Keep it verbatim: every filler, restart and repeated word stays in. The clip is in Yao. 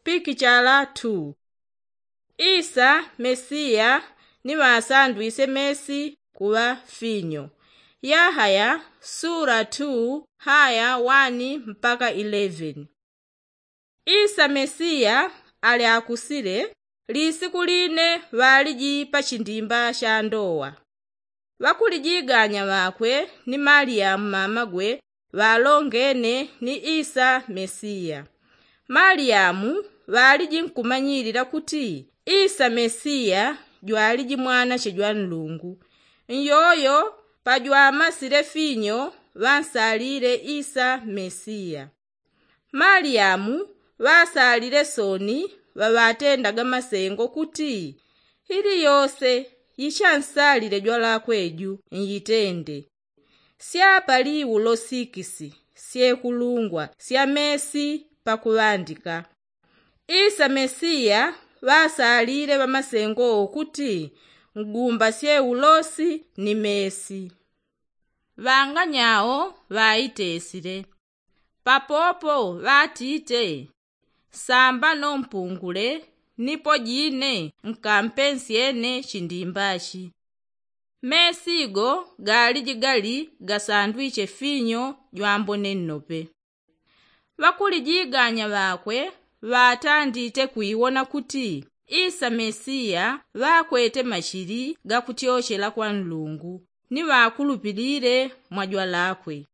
Pikichala tu. Isa mesiya ni ŵasandwisye mesi kuŵa finyo. Yahaya sula tu haya wani mpaka ileveni. Isa mesiya ali akusile. Lisiku line ŵaliji pa chindimba cha ndowa. Ŵakulijiganya ŵakwe ni maliyamu mamagwe ŵalongene ni isa mesiya. Maliyamu ŵaliji nkumanyilila kuti isa mesiya jwaliji mwanache jwa nlungu. Nyoyo pajwamasile finyo ŵansalile isa mesiya. Maliyamu ŵasalile soni ŵaŵatendaga masengo kuti, ili yose yichansalile jwalakwe ju nyitende. Syapali ulo sikisi syekulungwa sya mesi pakuŵandika. Isa mesiya ŵasalile ŵamasengo kuti ngumbasye ulosi ni mesi. Ŵanganyao ŵaitesile. Papopo ŵatite, sambano mpungule nipo jine nkampensyene chindimbachi. Mesigo galiji gali gasandwiche finyo jwambone nnope. Ŵakulijiganya ŵakwe ŵatandite kwiwona kuti isa mesiya ŵakwete machili gakutyochela kwa nlungu ni ŵakulupilile mwa jwalakwe.